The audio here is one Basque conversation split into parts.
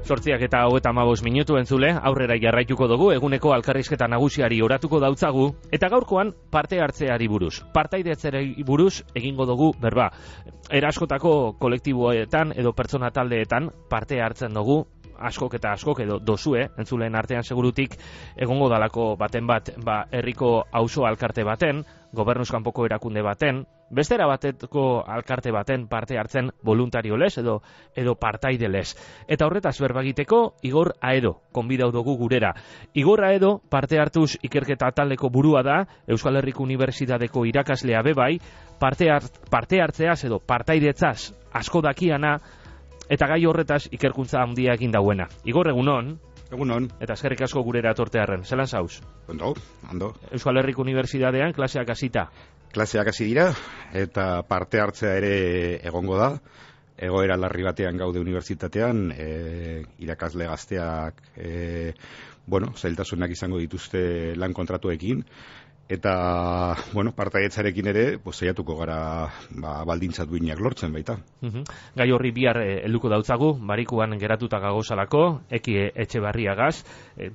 8:35 entzule, aurrera jarraituko dugu, eguneko elkarrizketa nagusiari oratuko dautzagu, eta gaurkoan parte hartzeari buruz. Partaidetzari buruz egingo dugu berba. Eraskotako kolektiboetan edo pertsona taldeetan parte hartzen dugu, askok edo dozue, entzuleen artean segurutik egongo dalako baten bat, herriko auzo alkarte baten, gobernuz kanpoko erakunde baten, bestera bateko alkarte baten parte hartzen voluntario lez edo partaide lez. Eta horretaz berbagiteko Igor Aedo konbidau dugu gurera. Igor Aedo parte hartuz ikerketa taldeko burua da, Euskal Herriko Unibertsitateko irakaslea bebai, parte hartzeaz edo partaidetzaz asko dakiana, eta gai horretaz ikerkuntza handia egin dauena. Igor, egunon. Egunon. Eta eskerrik asko gurera etortearren. Zelan zauz? Ondo. Euskal Herriko Unibertsitatean klaseak hasita. Klaseak hasi dira, eta parte hartzea ere egongo da. Egoera larri batean gaude unibertsitatean, irakasle gazteak, zailtasunak izango dituzte lan kontratuekin, eta, partaidetzarekin ere, saiatuko gara baldintza duinak lortzen baita. Gai horri bihar helduko dautzagu, barikuan geratuta gagozalako, Eki Etxebarriagaz,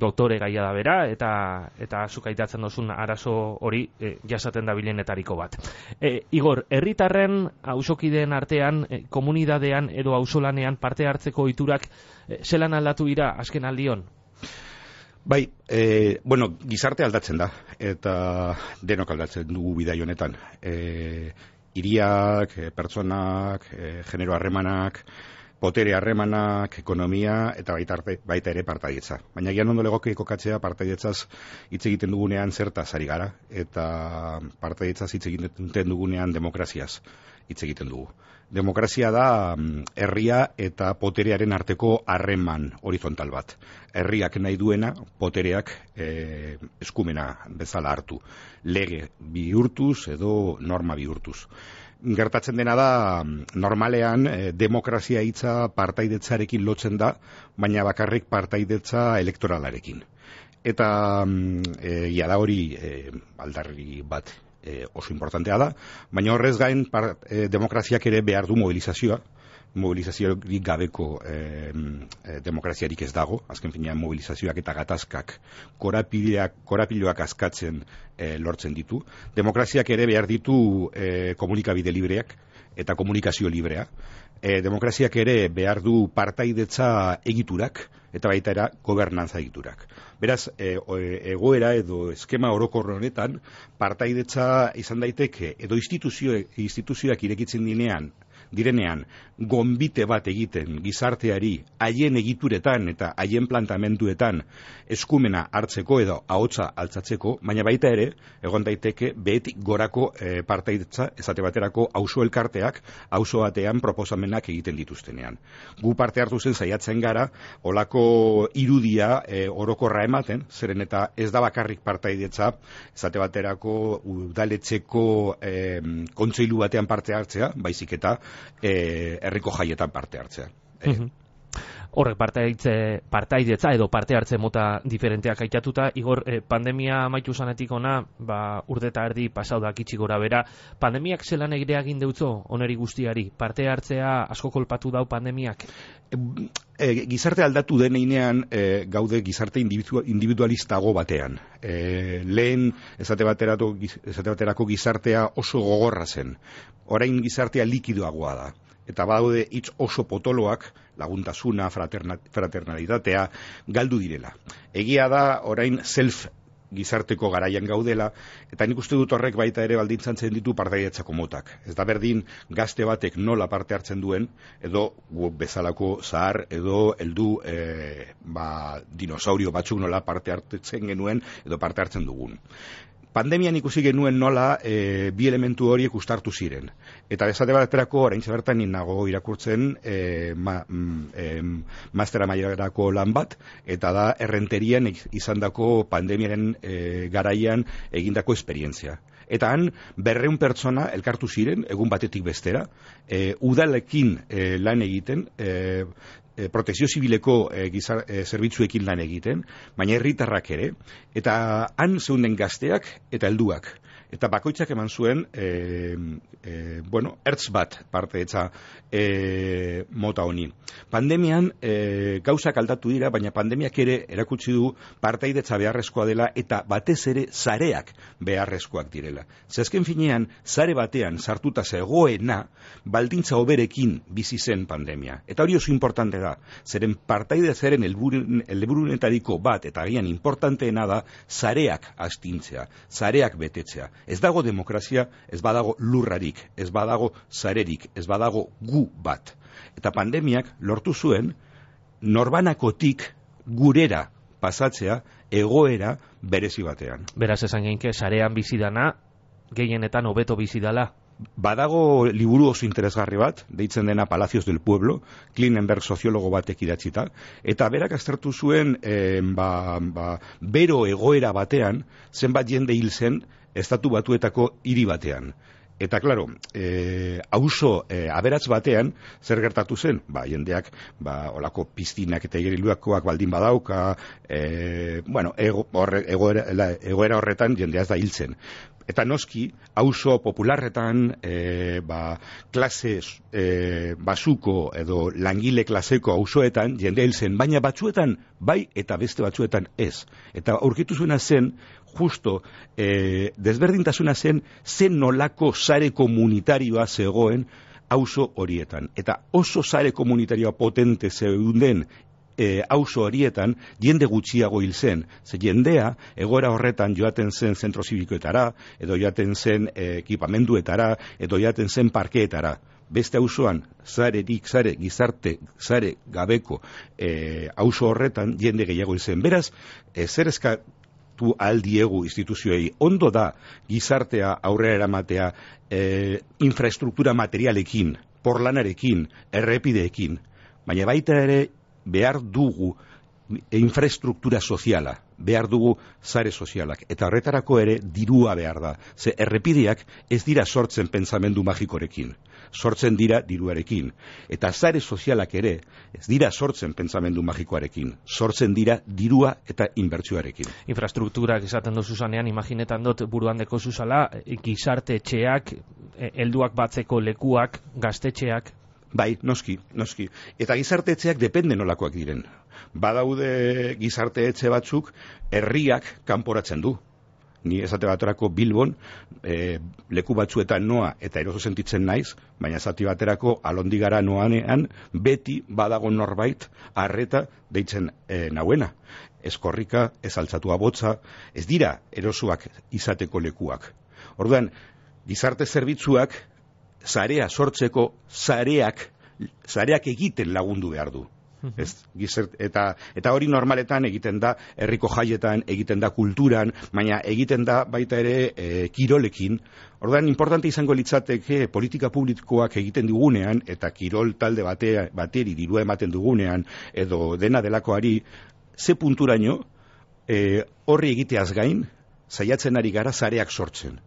doktore gaia da bera, eta zuk aitatzen dozun arazo hori jasaten dabilenetariko bat. Igor, herritarren auzokideen artean, komunidadean edo auzolanean parte hartzeko ohiturak zelan aldatu dira azken aldion? Bai, gizarte aldatzen da, eta denok aldatzen dugu bidai honetan. Hiriak, pertsonak, genero harremanak, potere harremanak, ekonomia, eta baita ere partaidetza. Baina gian ondo legoke kokatzea partaidetzaz hitz egiten dugunean zertaz ari gara, eta partaidetzaz hitz egiten dugunean demokraziaz hitz egiten dugu. Demokrazia da herria eta poterearen arteko harreman horizontal bat. Herriak nahi duena, potereak eskumena bezala hartu. Lege bihurtuz edo norma bihurtuz. Gertatzen dena da, normalean demokrazia hitza partaidetzarekin lotzen da, baina bakarrik partaidetza elektoralarekin. Eta da hori aldarri bat oso importantea da, baina horrez gain demokraziak ere behar du mobilizaziorik gabeko demokraziarik ez dago, azken finean mobilizazioak eta gatazkak korapiloak askatzen lortzen ditu. Demokraziak ere behar ditu komunikabide libreak eta komunikazio librea. Demokraziak ere behar du partaidetza egiturak eta baita era gobernantza egiturak. Beraz, egoera edo eskema orokor honetan partaidetza izan daiteke edo instituzioak irekitzen direnean gonbite bat egiten gizarteari haien egituretan eta haien plantamenduetan eskumena hartzeko edo ahotsa altzatzeko, baina baita ere egon daiteke behetik gorako partaidetza esate baterako auzo elkarteak auzo batean proposamenak egiten dituztenean. Gu parte hartu zen saiatzen gara olako irudia orokorra ematen, zeren eta ez da bakarrik partaidetza esate baterako udaletxeko kontseilu batean parte hartzea, baizik eta herriko jaietan parte hartzea. Horrek partaidetza edo parte hartze mota diferenteak aitatuta, Igor, pandemia amaitu zanetik ona, urte eta erdi pasau da kitsi gora bera, pandemiak zelan egire egin deutzo oneri guztiari, parte hartzea asko kolpatu dau pandemiak? Gizarte aldatu deneinean gaude gizarte individualistago batean. Lehen esate baterako gizartea oso gogorra zen. Orain gizartea likidoagoa da. Eta badaude hitz oso potoloak, laguntasuna, fraternalitatea, galdu direla. Egia da orain gizarteko garaian gaudela, eta nik uste dut horrek baita ere baldintzatzen ditu partaidetzako motak. Ez da berdin gazte batek nola parte hartzen duen, edo bezalako zahar, edo heldu dinosaurio batzuk nola parte hartzen genuen, edo parte hartzen dugun. Pandemian ikusi genuen nola bi elementu horiek uztartu ziren. Eta esate baterako, oraintxe bertan nago irakurtzen mastera mailarako lan bat, eta da errenterian izandako pandemiaren garaian egindako esperientzia. Eta han 200 pertsona elkartu ziren, egun batetik bestera, udalekin lan egiten, protekzio zibileko zerbitzuekin lan egiten, baina herritarrak ere, eta han zeunden gazteak eta helduak. eta bakoitzak eman zuen ertz bat partaidetza mota honi. Pandemian gauzak aldatu dira, baina pandemiak ere erakutsi du partaidetza beharrezkoa dela eta batez ere sareak beharrezkoak direla. Azken finean, sare batean sartuta zegoena baldintza hoberekin bizi zen pandemia. Eta hori oso importante da, zeren partaidetzaren helburunetariko bat, eta agian importanteena da, sareak astintzea, sareak betetzea. Ez dago demokrazia, ez badago lurrarik, ez badago sarerik, ez badago gu bat. Eta pandemiak lortu zuen norbanakotik gurera pasatzea egoera berezi batean. Beraz esan geinke, sarean bizidana, gehienetan hobeto bizidala. Badago liburu oso interesgarri bat, deitzen dena Palacios del Pueblo, Klinenberg soziologo batek idatzita, eta berak aztertu zuen bero egoera batean, zenbat jende hil zen Estatu Batuetako hiri batean. Eta, klaro, auzo aberats batean, zer gertatu zen? Jendeak, olako piztinak eta igeriluakoak baldin badauka, egoera horretan jendea ez da hiltzen. Eta noski, auzo popularretan, klase basuko edo langile klaseko auzoetan jendea hiltzen, baina batzuetan bai eta beste batzuetan ez. Eta aurkitu zuena zen, justo desberdintasuna zen nolako sare komunitarioa zegoen auzo horietan. Eta oso sare komunitarioa potente zeuden auzo horietan jende gutxiago hil zen. Ze jendea egoera horretan joaten zen zentro zibikoetara, edo joaten zen ekipamenduetara, edo joaten zen parkeetara. Beste auzoan, sare gabeko auzo horretan jende gehiago hil zen. Beraz, zer eskatu aldiegu instituzioei, ondo da gizartea aurrera eramatea infraestruktura materialekin, porlanarekin, errepideekin, baina baita ere behar dugu infraestruktura soziala, behar dugu sare sozialak, eta horretarako ere dirua behar da. Ze errepideak ez dira sortzen pentsamendu magikorekin, sortzen dira diruarekin. Eta sare sozialak ere ez dira sortzen pentsamendu magikoarekin, sortzen dira dirua eta inbertsioarekin. Infrastrukturak esaten dozu zanean, imaginetan dut buruan deko zuzala, gizarte etxeak, helduak batzeko lekuak, gaztetxeak. Bai, noski. Eta gizarte etxeak depende nolakoak diren. Badaude gizarte etxe batzuk herriak kanporatzen du. Ni esate baterako Bilbon, leku batzuetan noa eta eroso sentitzen naiz, baina esate baterako Alondigara noanean beti badago norbait arreta deitzen nauena. Ez korrika, ez altzatua botza, ez dira erosoak izateko lekuak. Orduan, gizarte zerbitzuak sarea sortzeko sareak egiten lagundu behar du. Eta hori normaletan egiten da herriko jaietan, egiten da kulturan, baina egiten da baita ere kirolekin. Orduan, importante izango litzateke politika publikoak egiten dugunean, eta kirol talde bateri dirua ematen dugunean, edo dena delakoari, ze punturaino horri egiteaz gain, saiatzen ari gara sareak sortzen.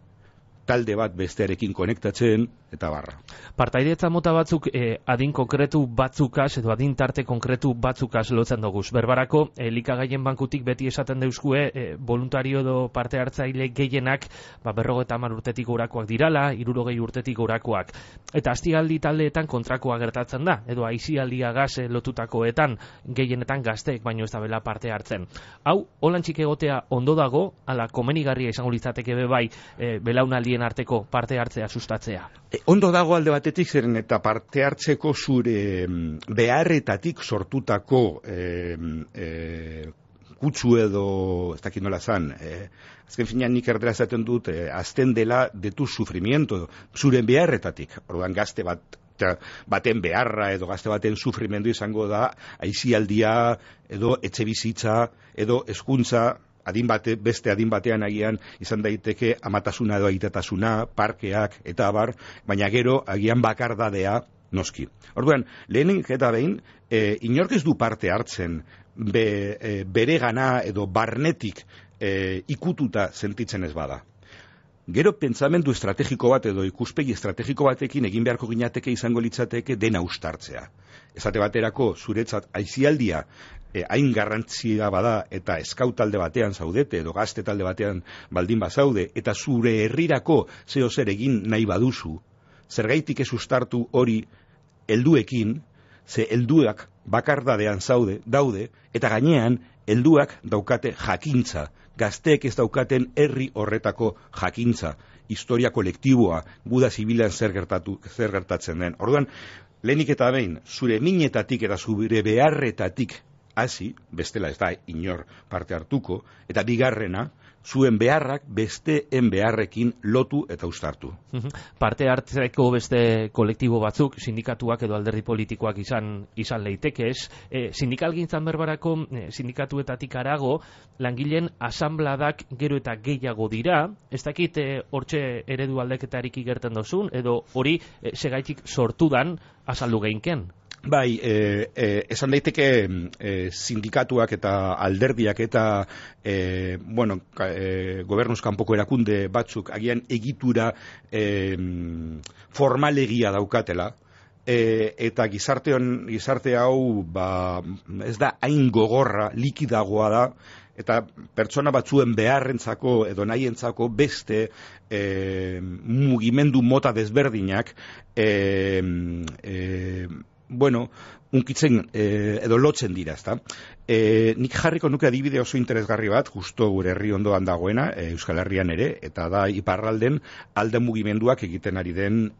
Talde bat bestearekin konektatzen, eta barra. Partaidetza mota batzuk adin konkretu batzukaz, edo adin tarte konkretu batzukaz lotzen doguz. Berbarako, elikagaien bankutik beti esaten deuzkue, voluntario edo parte hartzaile gehienak, 50 urtetik gorakoak dirala, 60 urtetik gorakoak. Eta astialdi taldeetan kontrakoa gertatzen da, edo aisialdiagaz lotutakoetan, gehienetan gazteek baino ez da bela parte hartzen. Hau, holantxik egotea ondo dago, ala komenigarria izango litzateke bebai, belaunaldien arteko parte hartzea sustatzea. Ondo dago alde batetik, zeren eta parte hartzeko zure beharretatik sortutako kutsu edo, ez dakit nola zan, azken finean nik erdera zaten dut, azten dela de tu sufrimiento, zure beharretatik. Orduan gazte baten beharra edo gazte baten sufrimendu izango da, aisialdia edo etxe bizitza edo hezkuntza, beste adin batean agian izan daiteke amatasuna edo aitatasuna, parkeak eta abar, baina gero agian bakardadea noski. Orduan, lehenik eta behin, inork ez du parte hartzen bere gana edo barnetik ikututa sentitzen ez bada. Gero pentsamendu estrategiko bat edo ikuspegi estrategiko batekin egin beharko ginateke izango litzateke dena ustartzea. Esate baterako zuretzat aisialdia hain garrantzia bada eta eskau talde batean zaudete edo gazte talde batean baldin bazaude eta zure herrirako zeo zer egin nahi baduzu, zergaitik ez ustartu hori helduekin, ze helduak bakardadean daude eta gainean helduak daukate jakintza, gazteek ez daukaten herri horretako jakintza, historia kolektiboa, guda zibilan zer gertatzen den. Orduan, lehenik eta behin, zure minetatik eta zure beharretatik hasi, bestela ez da inor parte hartuko, eta bigarrena, zuen beharrak besteen beharrekin lotu eta uztartu. Parte hartzeko beste kolektibo batzuk, sindikatuak edo alderdi politikoak izan leiteke ez. Sindikalgintzan berbarako sindikatuetatik harago, langileen asanbladak gero eta gehiago dira, ez dakit hortxe eredu aldeketarik igerten dozun, edo hori segaitik sortudan azaldu geinken. Bai, esan daiteke sindikatuak eta alderdiak eta gobernuz kanpoko erakunde batzuk agian egitura formalegia daukatela, eta gizarte hau ez da hain gogorra, likidagoa da, eta pertsona batzuen beharrentzako edo nahientzako beste mugimendu mota desberdinak unkitzen edo lotzen dira, ezta? Nik jarriko nuke adibide oso interesgarri bat, justo gure herri ondoan dagoena, Euskal Herrian ere, eta da iparralden alde mugimenduak egiten ari den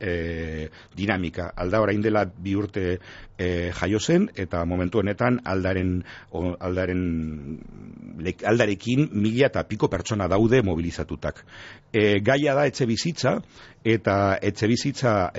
dinamika. Alda orain dela 2 urte jaio zen, eta momentu honetan aldarekin 1000 eta piko pertsona daude mobilizatutak. Gaia da etxe bizitza, eta etxe bizitza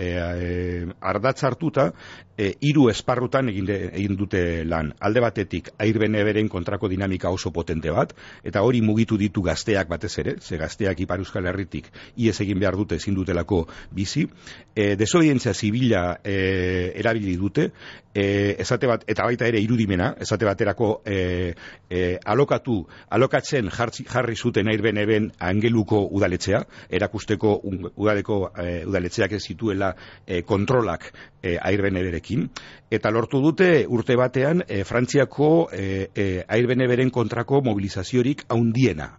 ardatz hartuta 3 esparrutan egin dute lan. Alde batetik Airbnb-ren kontrako dinamika oso potente bat, eta hori mugitu ditu gazteak batez ere, ze gazteak Ipar Euskal Herritik ihes egin behar dute ezin dutelako bizi, desobedientzia zibila erabili dute, eta baita ere irudimena, esate baterako alokatzen jarri zuten Airbnb-en Angeluko udaletxea, erakusteko udaletxeak ez zituela kontrolak Airbnb-rekin, eta lortu dute urte batean Frantziako Airbnb-ren kontrako mobilizaziorik haundiena.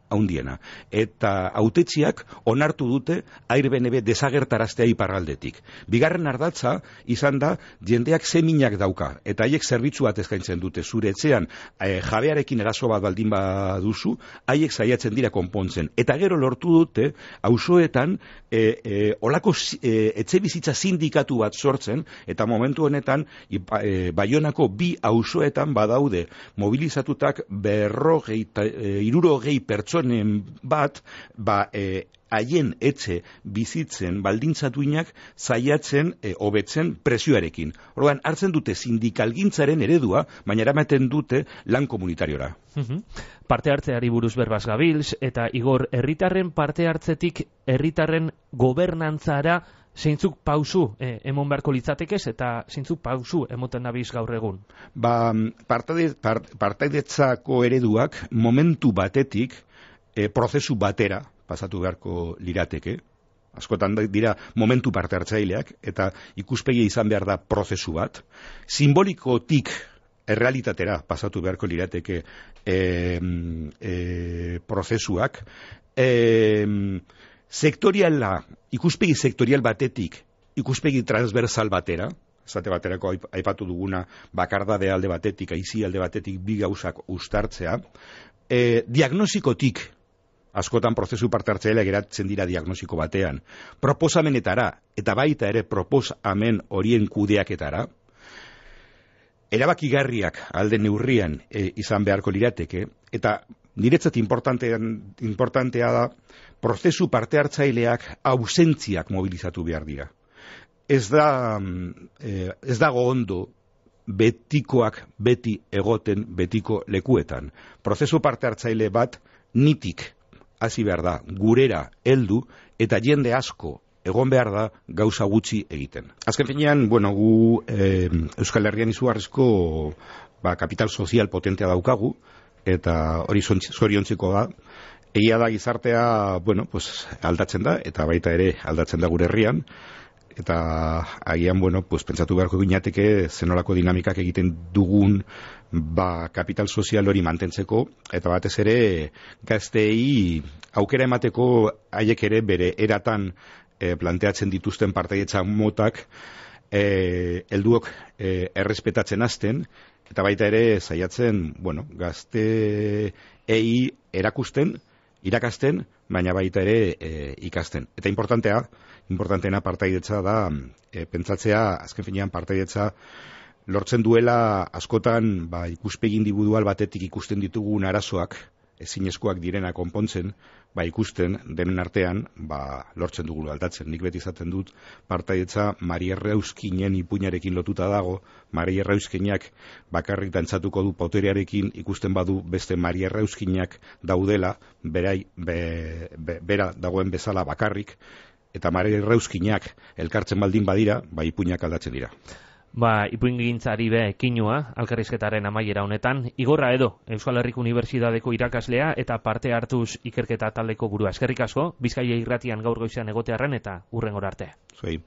Eta hautetxiak onartu dute Airbnb desagertaraztea iparraldetik. Bigarren ardatza izan da jendeak zeminak dauka, eta haiek zerbitzu bat eskaintzen dute. Zure etxean jabearekin eraso bat baldin baduzu, haiek saiatzen dira konpontzen. Eta gero lortu dute auzoetan olako etxe bizitza sindikatu bat sortzen, eta momentu honetan Baionako 2 auzoetan badaude mobilizatutak 60 pertsonen bat haien etxe bizitzen baldintzatuinak saiatzen hobetzen prezioarekin. Orduan hartzen dute sindikalgintzaren eredua, baina eramaten dute lan komunitariora. Parte hartzeari buruz berbaz gabilz, eta Igor, herritarren parte hartzetik herritarren gobernantzara zeintzuk pausu emon beharko litzatekez eta zeintzuk pausu emoten dabiz gaur egun? Partaidetzako ereduak momentu batetik prozesu batera pasatu beharko lirateke. Askotan dira momentu parte hartzaileak eta ikuspegi izan behar da prozesu bat. Simbolikotik errealitatera pasatu beharko lirateke prozesuak. Ikuspegi sektorial batetik, ikuspegi transversal batera, esate baterako aipatu duguna bakardade alde batetik, aizi alde batetik 2 gauzak uztartzea, diagnosikotik, askotan prozesu parte hartzaileak geratzen dira diagnosiko batean, proposamenetara, eta baita ere proposamen horien kudeaketara, erabakigarriak alde neurrian izan beharko lirateke, eta niretzat importantea da, prozesu parte hartzaileak ausentziak mobilizatu behar dira. Ez dago ondo betikoak beti egoten betiko lekuetan. Prozesu parte hartzaile bat nitik hasi behar da, gurera heldu eta jende asko egon behar da gauza gutxi egiten. Azken finean, gu Euskal Herrian izugarrizko kapital sozial potentea daukagu, eta hori zoriontzeko da, Egia da gizartea, bueno, pues, aldatzen da, eta baita ere aldatzen da gure herrian, eta agian, bueno, pues, pentsatu beharko ginateke zenolako dinamikak egiten dugun kapital sozial hori mantentzeko, eta batez ere gazteei aukera emateko haiek ere bere eratan planteatzen dituzten partaidetza motak helduok errespetatzen hasten, eta baita ere saiatzen, bueno, gazteei erakusten, irakasten, baina baita ere ikasten. Eta importanteena partaidetza da, pentsatzea, azken finean partaidetza lortzen duela askotan ikuspegi individual batetik ikusten ditugun arazoak, ezinezkoak direna konpontzen, ikusten denen artean, lortzen dugu aldatzen. Nik beti izaten dut, partaidetza Mari Errauskinen ipuinarekin lotuta dago, Mari Errauskinak bakarrik dantzatuko du poterearekin, ikusten badu beste Mari Errauskinak daudela, bera dagoen bezala bakarrik, eta Mari Errauskinak elkartzen baldin badira, ipuinak aldatzen dira. Ipuingintzari kinua, elkarrizketaren amaiera honetan, Igorra Edo, Euskal Herriko Unibertsitateko irakaslea eta parte hartuz ikerketa taldeko burua. Eskerrik asko, Bizkaia irratian gaur goizean egotearren eta hurrengora arte. Zuei.